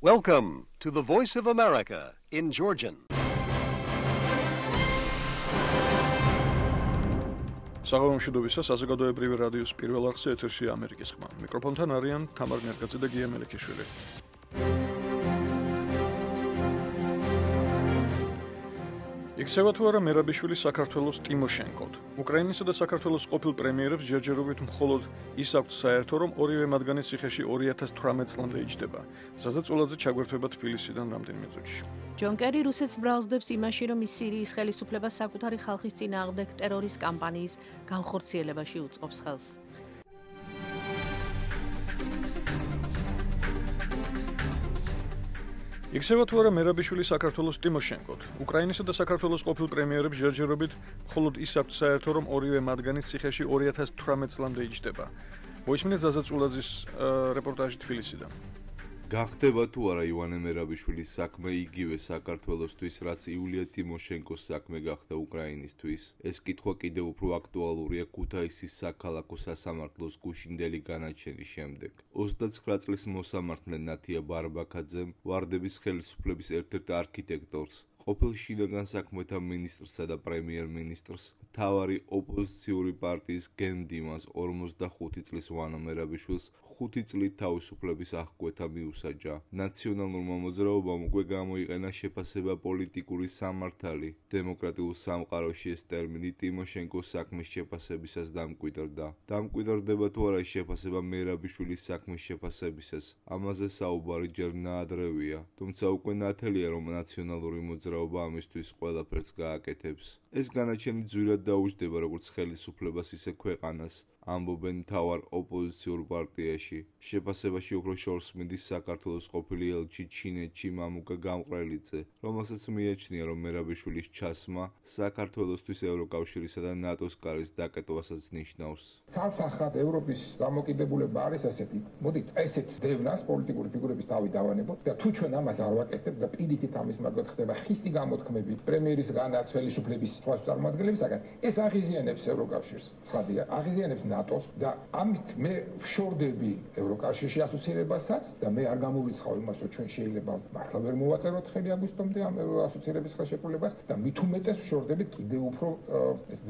Welcome to the Voice of America in Georgian. საღამომშვიდობისა საზოგადოებრივი რადიოს პირველ არხზე ეთერშია ამერიკის ხმა. მიკროფონთან არიან თამარ ნერგაძე და გია მელიქიშვილი. იქცევა თუ არა მერაბიშვილის საქართველოს ტიმოშენკოდ. უკრაინისა და საქართველოს ყოფილ პრემიერებს ჯერჯერობით მხოლოდ ის აქვთ საერთო, რომ ორივე მათგანი ციხეში 2018 წლამდე იჯდება. ზაზა წულაძე ჩაგვერთვება თბილისიდან რამდენიმე წუთში. ჯონ კერი რუსეთს ბრალსდებს იმაში, რომ ის სირიის ხელისუფლებას საკუთარი ხალხის წინააღმდეგ ტერორის კამპანიის განხორციელებაში უწყობს ხელს. იქცევა თუ არა მერაბიშვილი საქართველოს ტიმოშენკოდ. უკრაინისა და საქართველოს ყოფილ პრემიერებს ჯერჯერობით მხოლოდ ის აქვთ საერთო, რომ ორივე მათგანი ციხეში 2018 წლამდე იჯდება. მოისმინეთ ზაზა წულაძის რეპორტაჟი თბილისიდან. გახდება თუ არა ივანე მერაბიშვილის საქმე იგივე საქართველოსთვის, რაც იულია ტიმოშენკოს საქმე გახდა უკრაინისთვის. ეს კითხვა კიდევ უფრო აქტუალურია ქუთაისის საქალაქო სასამართლოს გუშინდელი განაჩენის შემდეგ. 29 წლის მოსამართლე ნათია ბარბაქაძემ ვარდების ხელისუფლების ერთ-ერთ არქიტექტორს, ყოფილ შინაგან საქმეთა მინისტრსა და პრემიერ-მინისტრს, მთავარი ოპოზიციური პარტიის გენდიმას 45 წლის ვანო მერაბიშვილს 5 წლით თავისუფლების აღკვეთა მიუსაჯა. ნაციონალურმა მოძრაობამ უკვე გამოიყენა შეფასება პოლიტიკური სამართალი. დემოკრატიულ სამყაროში ეს ტერმინი ტიმოშენკოს საქმის შეფასებისას დამკვიდრდა. დამკვიდრდება თუ არა ეს შეფასება მერაბიშვილის საქმის შეფასებისას, ამაზე საუბარი ჯერ ნაადრევია, თუმცა უკვე ნათელია, რომ ნაციონალური მოძრაობა ამისთვის ყველაფერს გააკეთებს. ეს განაჩენი ძვირად დაუჯდება როგორც ხელისუფლებას, ისე ქვეყანას, ამბობენ მთავარ ოპოზიციურ პარტიაში. შეფასებაში უფრო შორს მიდის საქართველოს ყოფილი ელჩი ჩინეთში მამუკა გამყრელიძე, რომელსაც მიაჩნია, რომ მერაბიშვილის ჩასმა საქართველოსთვის ევროკავშირისა და ნატოს კარის დაკეტვასაც ნიშნავს. ცალსახად ევროპის დამოკიდებულება არის ასეთი. მოდით ესეთ დევნას პოლიტიკური ფიგურების თავი დავანებოთ და თუ ჩვენ ამას არ ვაკეთებთ და პირიქით ამის მაგათ ხდება ხისტი გამოთქმები პრემიერისგანაც ხელისუფლების სხვა წარმომადგენლებისაგან, ეს აღიზიანებს ევროკავშირს. ცხადია, აღიზიანებს ნატოს და ამით მე ვშორდები ევროკავშირში ასოცირებასაც და მე არ გამოვიცხავ იმას, რომ ჩვენ შეიძლება მართლა ვერ მოვაწეროთ ხელი აგვისტომდე ამ ასოცირების ხელშეკრულებას და მით უმეტეს ვშორდებით კიდევ უფრო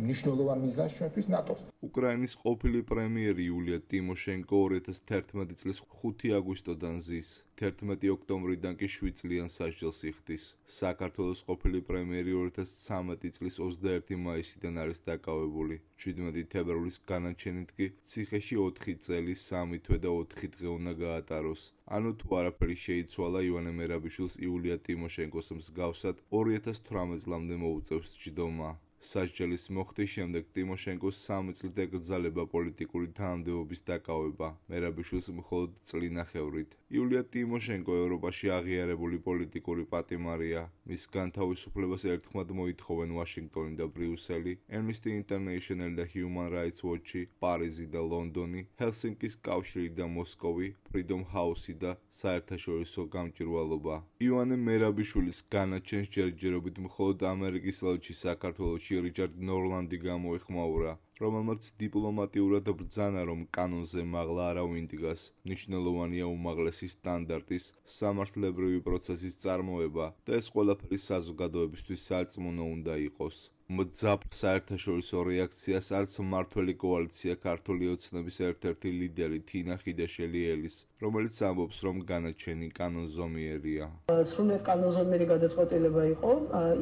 მნიშვნელოვან მიზანს ჩვენთვის ნატოს. უკრაინის ყოფილი პრემიერი იულია ტიმოშენკო 2011 წლის 5 აგვისტოდან ზის, 11 ოქტომბრიდან კი 7 წლიან სასჯელს იხდის. საქართველოს ყოფილი პრემიერი 2013 წლის 21 მაისიდან არის დაკავებული. 17 თებერვლის განაჩენით კი ციხეში 4 წელი, 3 თვე და 4 დღე უნდა გაატაროს. ანუ თუ არაფერი შეიცვალა, ივანე მერაბიშვილს იულია ტიმოშენკოს მსგავსად 2018 წლამდე მოუწევს ჯდომა. სასჯელის მოხდის შემდეგ ტიმოშენკოს 3 წლით ეკრძალება პოლიტიკური თანამდებობის დაკავება, მერაბიშვილს მხოლოდ წლინახევრით. იულია ტიმოშენკო ევროპაში აღიარებული პოლიტიკური პატიმარია. მის განთავისუფლებას ერთხმად მოითხოვენ ვაშინგტონი და ბრიუსელი, Amnesty International და Human Rights Watch, პარიზი და ლონდონი, ჰელსინკის კავშირი და მოსკოვი, Freedom House და საერთაშორისო გამჭვირვალობა. ივანე მერაბიშვილის განაჩენს ჯერჯერობით მხოლოდ ამერიკის ელჩი საქართველოში რიჩარდ ნორლანდი გამოეხმაურა, რომელმაც დიპლომატიურად ბრძანა, რომ კანონზე მაღლა არ ავინდგას. მნიშვნელოვანია უმაღლესი სტანდარტის, სამართლებრივი პროცესის წარმოება და ეს ყველაფერი საზოგადოებისთვის სარწმუნო უნდა იყოს. მძაფრ საერთაშორისო რეაქციას არც მმართველი კოალიცია ქართული ოცნების ერთ-ერთი ლიდერი თინა ხიდაშელი-ელის, რომელიც ამბობს, რომ განაჩენი კანონზომიერია. სრულიად კანონზომიერი გადაწყვეტილება იყო,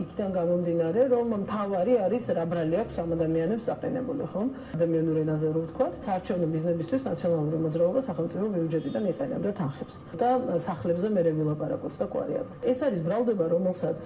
იქიდან გამომდინარე, რომ მთავარი არის რა ბრალი აქვს ამ ადამიანებს საყენებული, ხო? ადამიანურ ენაზე რო ვთქვათ, საარჩევნო მიზნებისთვის ნაციონალური მოძრაობა სახელმწიფო ბიუჯეტიდან იყენებდა თანხებს და სახლებზე მერე ვილაპარაკოთ და კვარიათს. ეს არის ბრალდება, რომელსაც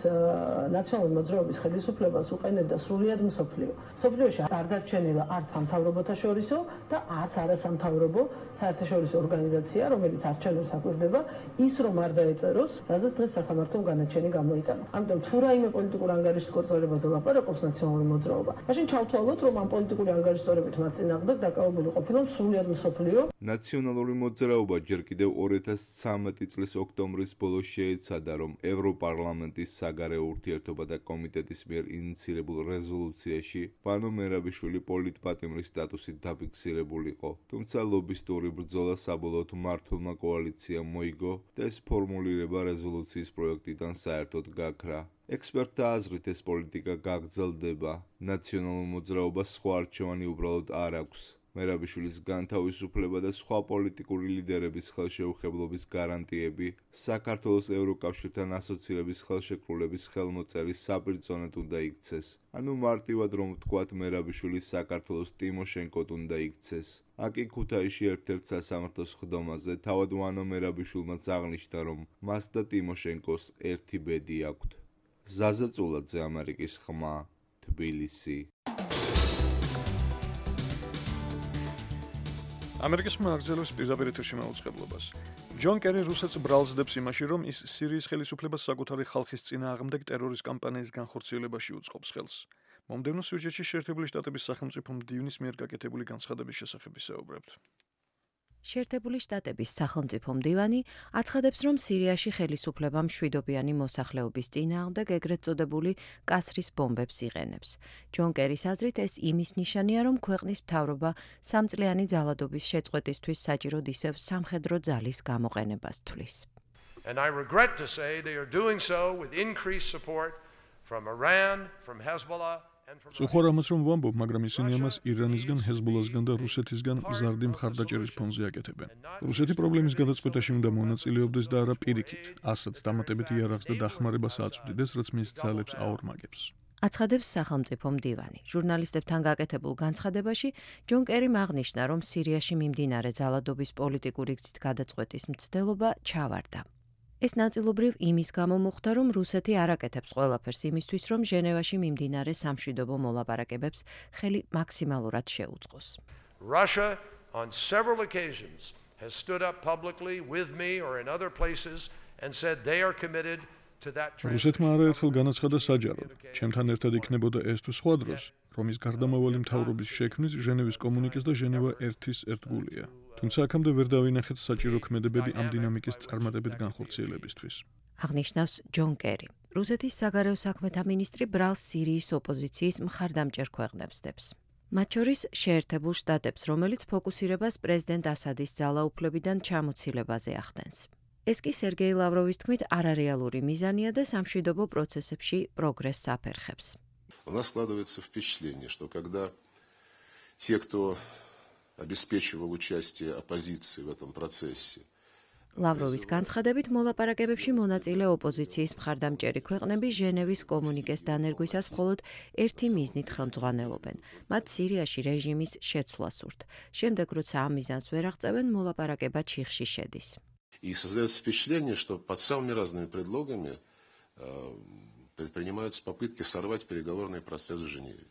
ნაციონალური მოძრაობის ხელისუფლებას უყენებდა სრულიად მსოფლიო. მსოფლიოში არ დარჩენილა არც სამთავრობოთა შორისო და არც არასამთავრობო საერთაშორისო ორგანიზაცია, რომელიც არჩევნებს აკვირდება, ის რომ არ დაეწეროს, რაზეც დღეს სასამართლომ განაჩენი გამოიტანა. ამიტომ თუ რაიმე პოლიტიკურ ანგარიშის კორწოლებაზე ლაპარაკობს ნაციონალური მოძრაობა, მაშინ ჩავთვალოთ, რომ ამ პოლიტიკური ანგარიშსწორებით მათ წინააღმდეგ დაკავებული ყოფილა სრულიად მსოფლიო. ნაციონალური მოძრაობა ჯერ კიდევ 2013 წლის ოქტომბრის ბოლოს შეეცადა, რომ ევროპარლამენტის საგარეო ურთიერთობათა კომიტეტის მიერ ინიცირებულ გადაღებულ რეზოლუციაში ვანო მერაბიშვილი პოლიტპატიმრის სტატუსით დაფიქსირებულიყო, თუმცა ლობისტური ბრძოლა საბოლოოდ მართლმა კოალიციამ მოიგო და ეს ფორმულირება რეზოლუციის პროექტიდან საერთოდ გაქრა. ექსპერტთა აზრით ეს პოლიტიკა გაგრძელდება, ნაციონალურ მოძრაობას სხვა არჩევანი უბრალოდ არ აქვს. მერაბიშვილის განთავისუფლება და სხვა პოლიტიკური ლიდერების ხელშეუხებლობის გარანტიები საქართველოს ევროკავშირთან ასოცირების ხელშეკრულების ხელმოწერის საპირწონედ უნდა იქცეს. ანუ მარტივად რომ ვთქვათ, მერაბიშვილი საქართველოს ტიმოშენკოდ უნდა იქცეს. აკი ქუთაისში ერთ-ერთ სასამართლოს ხდომაზე თავად ვანო მერაბიშვილმაც აღნიშნა, რომ მას და ტიმოშენკოს ერთი ბედი აქვთ. ზაზა წულაძე, ამერიკის ხმა, თბილისი. ამერიკის მაღაზიების პირდაპირ ეთერში მაუწყებლობას. ჯონ კერი რუსეთს ბრალსდებს იმაში, რომ ის სირიის ხელისუფლებას საკუთარი ხალხის წინააღმდეგ ტერორის კამპანიის განხორციელებაში უწყობს ხელს. მომდევნო სიუჟეტში შეერთებული შტატების სახელმწიფო მდივნის მიერ გაკეთებული განცხადების შესახებ ვისაუბრებთ. შეერთებული შტატების სახელმწიფო მდივანი აცხადებს, რომ სირიაში ხელისუფლება მშვიდობიანი მოსახლეობის წინააღმდეგ ეგრეთ წოდებული კასრის ბომბებს იღენებს. ჯონ კერის აზრით, ეს იმის ნიშანია, რომ ქვეყნის მთავრობა სამწლიანი ძალადობის შეწყვეტისთვის საჭიროდ ისევ სამხედრო ძალის გამოყენებას თვლის. And I regret to say they are doing so with increased support from Iran, from Hezbollah. Სუხარ ამას რომ ვამბობ, მაგრამ ისინი ამას ირანისგან, ჰეზბოლასგან და რუსეთისგან მზარდი მხარდაჭერის ფონზე აკეთებენ. რუსეთი პრობლემის გადაწყვეტაში უნდა მონაწილეობდეს და არა პირიქით, ასაც დამატებით იარაღს და დახმარებას აწვდიდეს, რაც მის ძალებს აორმაგებს. აცხადებს სახელმწიფო მდივანი. ჟურნალისტებთან გაკეთებულ განცხადებაში ჯონ კერიმ აღნიშნა, რომ სირიაში მიმდინარე ძალადობის პოლიტიკური გზით გადაწყვეტის მცდელობა ჩავარდა. ეს ნაწილობრივ იმის გამო მოხდა, რომ რუსეთი არ აკეთებს ყველაფერს იმისთვის, რომ ჟენევაში მიმდინარე სამშვიდობო მოლაპარაკებებს ხელი მაქსიმალურად შეუწყოს. Russia on several occasions has stood up publicly with me or in other places and said they are committed to that transition. რუსეთმა არაერთხელ განაცხადა საჯაროდ, ჩემთან ერთად იქნებოდა ეს თუ სხვა დროს, რომ ის გარდამავალი მთავრობის შექმნის ჟენევის კომუნიკეს და ჟენევა 1-ის ერთგულია. თუმცა აქამდე ვერ დავინახეთ საჭირო ქმედებები ამ დინამიკის წარმატებით განხორციელებისთვის. აღნიშნავს ჯონ კერი. რუსეთის საგარეო საქმეთა მინისტრი ბრალს სირიის ოპოზიციის მხარდამჭერ ქვეყნებს დებს. მათ შორის შეერთებულ შტატებს, რომელიც ფოკუსირებას პრეზიდენტ ასადის ძალაუფლებიდან ჩამოცილებაზე ახდენს. ეს კი სერგეი ლავროვის თქმით არარეალური მიზანია და სამშვიდობო პროცესებში პროგრესს აფერხებს. У нас складывается впечатление, что когда те, кто обеспечивал участие оппозиции в этом процессе. ლავროვის განცხადებით მოლაპარაკებებში მონაწილე ოპოზიციის მხარდამჭერი ქვეყნები ჟენევის კომუნიკეს დანერგვისას მხოლოდ ერთი მიზნით ხელმძღვანელობენ. მათ სირიაში რეჟიმის შეცვლა სურთ. შემდეგ როცა ამ მიზანს ვერ აღწევენ, მოლაპარაკება ჩიხში შედის. И создается впечатление, что под самыми разными предлогами предпринимаются попытки сорвать переговорный процесс в Женеве.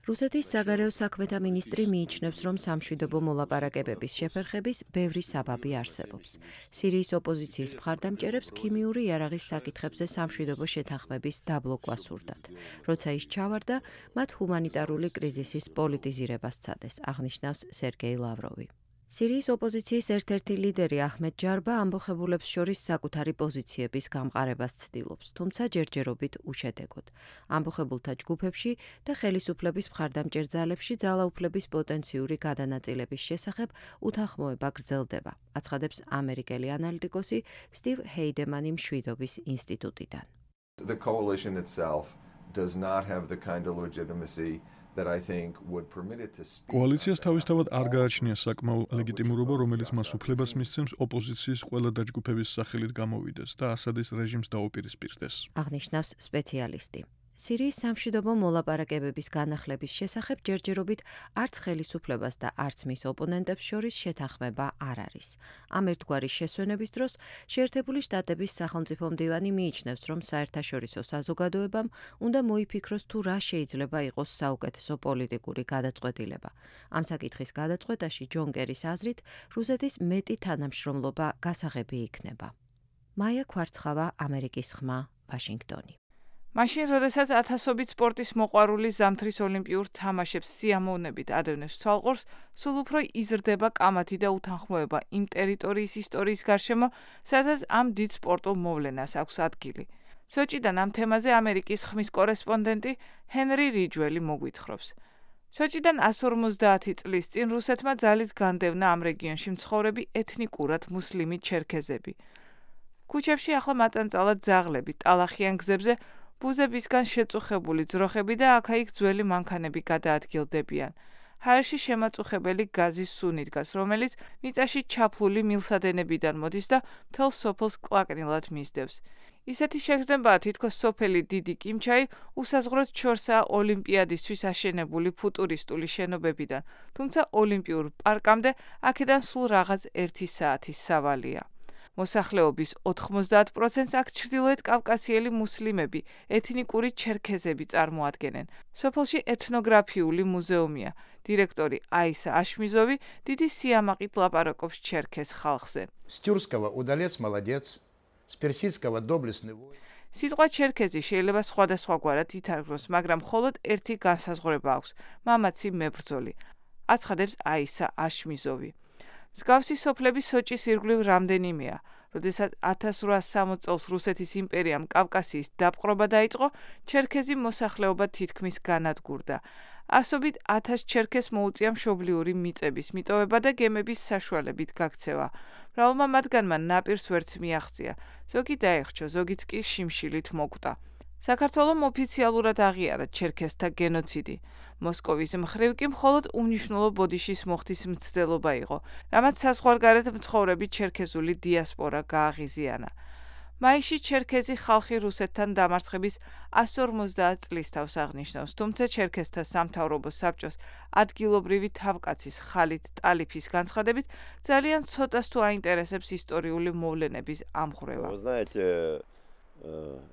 რუსეთის საგარეო საქმეთა მინისტრი მიიჩნევს, რომ სამშვიდობო მოლაპარაკებების შეფერხების ბევრი საბაბი არსებობს. სირიის ოპოზიციის მხარდამჭერებს ქიმიური იარაღის საკითხებზე სამშვიდობო შეთანხმების დაბლოკვა სურდათ. როცა ის ჩავარდა, მათ ჰუმანიტარული კრიზისის პოლიტიზირებას სცადეს, აღნიშნავს სერგეი ლავროვი. სირიის ოპოზიციის ერთ-ერთი ლიდერი აჰმედ ჯარბა ამბოხებულებს შორის საკუთარი პოზიციების გამყარებას ცდილობს, თუმცა ჯერჯერობით უშედეგოდ. ამბოხებულთა ჯგუფებში და ხელისუფლების მხარდამჭერ ძალებში ძალაუფლების პოტენციური გადანაწილების შესახებ უთანხმოება გრძელდება, აცხადებს ამერიკელი ანალიტიკოსი სტივ ჰეიდემანი მშვიდობის ინსტიტუტიდან. The coalition itself does not have the kind of legitimacy that I think would permit it to speak. კოალიციას თავისთავად არ გააჩნია საკმაო ლეგიტიმურობა, რომელიც მას უფლებას მისცემს ოპოზიციის ყველა დაჯგუფების სახელით გამოვიდეს და ასადის რეჟიმს დაუპირისპირდეს. აღნიშნავს სპეციალისტი. სირიის სამშვიდობო მოლაპარაკებების განახლების შესახებ ჯერჯერობით არც ხელისუფლებას და არც მის ოპონენტებს შორის შეთანხმება არ არის. ამ ერთგვარი შესვენების დროს შეერთებული შტატების სახელმწიფო მდივანი მიიჩნევს, რომ საერთაშორისო საზოგადოებამ უნდა მოიფიქროს თუ რა შეიძლება იყოს საუკეთესო პოლიტიკური გადაწყვეტილება. ამ საკითხის გადაწყვეტაში ჯონ კერის აზრით რუსეთის მეტი თანამშრომლობა გასაღები იქნება. მაია კვარცხავა, ამერიკის ხმა, ვაშინგტონი. მაშინ, როდესაც ათასობით სპორტის მოყვარული ზამთრის ოლიმპიურ თამაშებს სიამოვნებით ადევნებს თვალყურს, სულ უფრო იზრდება კამათი და უთანხმოება იმ ტერიტორიის ისტორიის გარშემო, სადაც ამ დიდ სპორტულ მოვლენას აქვს ადგილი. სოჭიდან ამ თემაზე ამერიკის ხმის კორესპონდენტი ჰენრი რიჯველი მოგვითხრობს. სოჭიდან 150 წლის წინ რუსეთმა ძალით განდევნა ამ რეგიონში მცხოვრები ეთნიკურად მუსლიმი ჩერქეზები. ქუჩებში ახლა მაწანწალად ძაღლები, ტალახიან გზებზე ბუზებისგან შეწუხებული ძროხები და აქა-იქ ძველი მანქანები გადაადგილდებიან. ჰაერში შემაწუხებელი გაზის სუნი დგას, რომელიც მიწაში ჩაფლული მილსადენებიდან მოდის და მთელ სოფელს კლაკნილად მისდევს. ისეთი შეგრძნებაა, თითქოს სოფელი დიდი კიმჩაი უსაზღვროდ ჩორსაა ოლიმპიადისთვის აშენებული ფუტურისტული შენობებიდან, თუმცა ოლიმპიურ პარკამდე აქედან სულ რაღაც 1 საათის სავალია. მოსახლეობის 90%-ს აქ ჩრდილოეთ კავკასიელი მუსლიმები, ეთნიკური ჩერქეზები წარმოადგენენ. სოფელში ეთნოგრაფიული მუზეუმია. დირექტორი აისა აშმიზოვი დიდი სიამაყით ლაპარაკობს ჩერქეზ ხალხზე. С тюркского удалец молодец, с персидского доблестный воин. სიტყვა ჩერქეზი შეიძლება სხვადასხვაგვარად ითარგმნოს, მაგრამ მხოლოდ ერთი განსაზღვრება აქვს: მამაცი მებრძოლი. აცხადებს აისა აშმიზოვი. მსგავსი სოფლები სოჭის ირგვლივ რამდენიმეა. როდესაც 1860 წელს რუსეთის იმპერიამ კავკასიის დაპყრობა დაიწყო, ჩერქეზი მოსახლეობა თითქმის განადგურდა. ასობით 1000 ჩერქეზს მოუწია მშობლიური მიწების მიტოვება და გემების საშუალებით გაქცევა. მრავალმა მათგანმა ნაპირს ვერც მიაღწია, ზოგი დაეხრჩა, ზოგიც კი შიმშილით მოკვდა. საქართველომ ოფიციალურად აღიარა ჩერქეზთა გენოციდი. მოსკოვის მხრივ კი მხოლოდ უნიშნულო ბოდიშის მოხდის მცდელობა იყო, რამაც საზღვარგარეთ მცხოვრები ჩერქეზული დიასპორა გააღიზიანა. მაისში ჩერქეზი ხალხი რუსეთთან დამარცხების 150 წლის თავს აღნიშნავს, თუმცა ჩერქეზთა სამთავრობო საბჭოს ადგილობრივი თავკაცის ხალით ტალიფის განცხადებით ძალიან ცოტას თუ აინტერესებს ისტორიული მოვლენების ამხვრევა.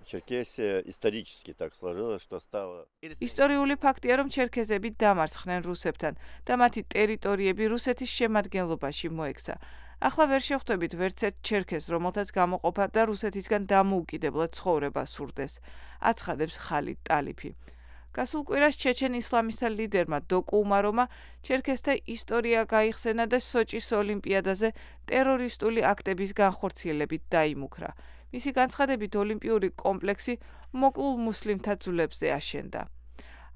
Черкесия исторически так сложилось, что стало... ისტორიული ფაქტია, რომ ჩერქეზები დამარცხდნენ რუსებთან და მათი ტერიტორიები რუსეთის შემადგენლობაში მოექცა. ახლა ვერ შეხვდებით ვერც ერთ ჩერქეზს, რომელთაც გამოყოფა და რუსეთისგან დამოუკიდებლად ცხოვრება სურდეს, აცხადებს ხალით ტალიფი. გასულ კვირას ჩეჩენ ისლამისტთა ლიდერმა დოკუ უმარომა ჩერქეზთა ისტორია გაიხსენა და სოჭის ოლიმპიადაზე ტერორისტული აქტების განხორციელებით დაიმუქრა. მისი განცხადებით ოლიმპიური კომპლექსი მოკლულ მუსლიმთა ძვლებზე აშენდა.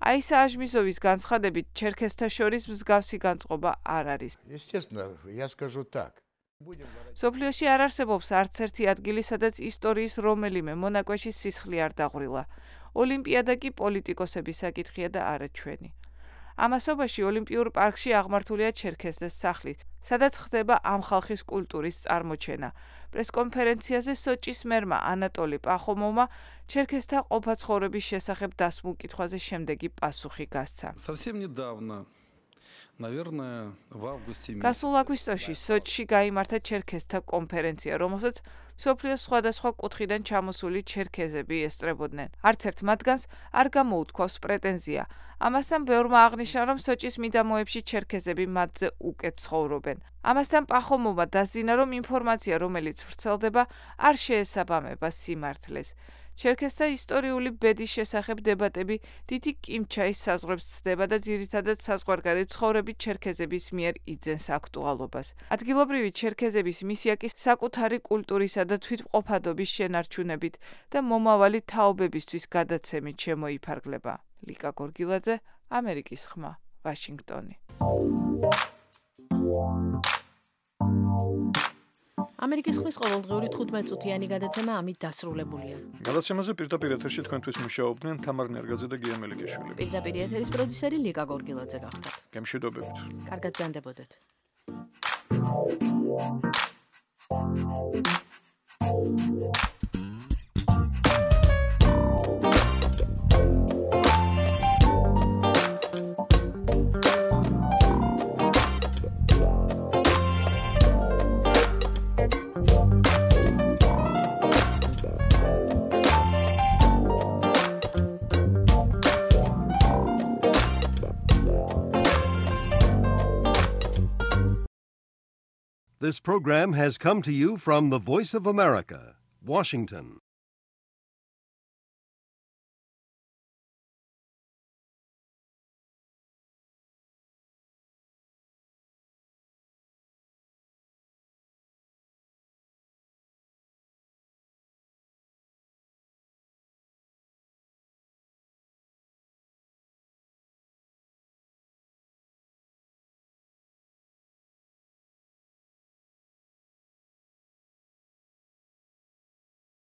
აისა აშმიზოვის განცხადებით ჩერქეზთა შორის მსგავსი განწყობა არ არის. Естественно, я скажу так. სოფლიოში არ არსებობს არც ერთი ადგილი, სადაც ისტორიის რომელიმე მონაკვეთში სისხლი არ დაღვრილა. ოლიმპიადა კი პოლიტიკოსების საკითხია და არა ჩვენი. ამასობაში ოლიმპიურ პარკში აღმართულია ჩერქეზთა სახლი, სადაც ხდება ამ ხალხის კულტურის წარმოჩენა. პრესკონფერენციაზე სოჭის მერმა ანატოლი პახომოვმა ჩერქეზთა ყოფაცხოვრების შესახებ დასმულ კითხვაზე შემდეგი პასუხი გასცა. Совсем недавно, наверное, в августе месяце. გასულ აგვისტოში სოჭში გაიმართა ჩერქეზთა კონფერენცია, რომელსაც სოფლიოს სხვადასხვა კუთხიდან ჩამოსული ჩერქეზები ესწრებოდნენ. არც ერთ მათგანს არ გამოუთქვავს პრეტენზია. ამასთან ბევრმა აღნიშნა, რომ სოჭის მიდამოებში ჩერქეზები მათზე უკეთ ცხოვრობენ. ამასთან პახომოვმა დასძინა, რომ ინფორმაცია, რომელიც ვრცელდება, არ შეესაბამება სიმართლეს. ჩერქეზთა ისტორიული ბედის შესახებ დებატები დიდი კიმჩაის საზღვრებს ცდება და ძირითადად საზღვარგარეთ მცხოვრები ჩერქეზების მიერ იძენს აქტუალობას. ადგილობრივი ჩერქეზების მისია კი საკუთარი კულტურისა და თვითმყოფადობის შენარჩუნებით და მომავალი თაობებისთვის გადაცემით შემოიფარგლება. ლიკა გორგილაძე, ამერიკის ხმა, ვაშინგტონი. ამერიკის ხმის ყოველდღიური 15 წუთიანი გადაცემა ამით დასრულებულია. გადაცემაზე პირდაპირ ეთერში თქვენთვის მუშაობდნენ თამარ ნერგაძე და გია მელიქიშვილი. პირდაპირ ეთერის პროდიუსერი ლიკა გორგილაძე გახდათ. გემშვიდობებით. კარგად გრძანდებოდეთ. This program has come to you from the Voice of America, Washington.